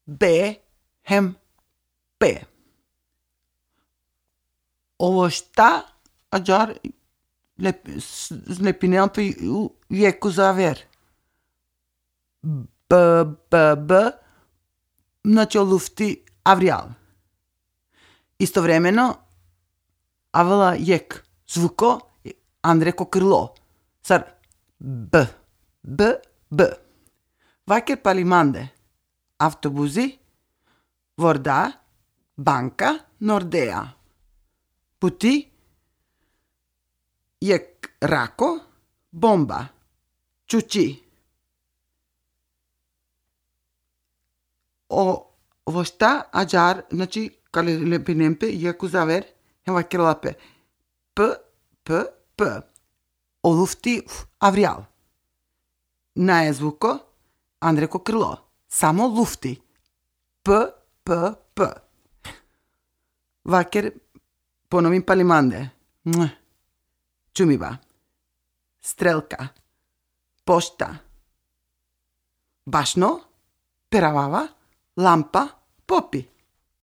B, hem, P. Ovo šta, ajar, slepineam pe iecu zaver. B, znači o lufti avrial. Istovremeno, avela jek zvuko, andreko krlo. Sar, B. Vaker palimande, autobuzi, vorda, banka, Nordea. Puti, jek rako, bomba, čuči. Ovo šta, ajar, znači, kale lepinempe, jeku zaver, hem vaker lape. P. O lufti avrial. Naje zvuko, andreko krlo. Samo lufti. P. Vaker ponovim palimande. Čumiba. Strelka. Pošta. Bašno. Peravava. Lampa. Popi.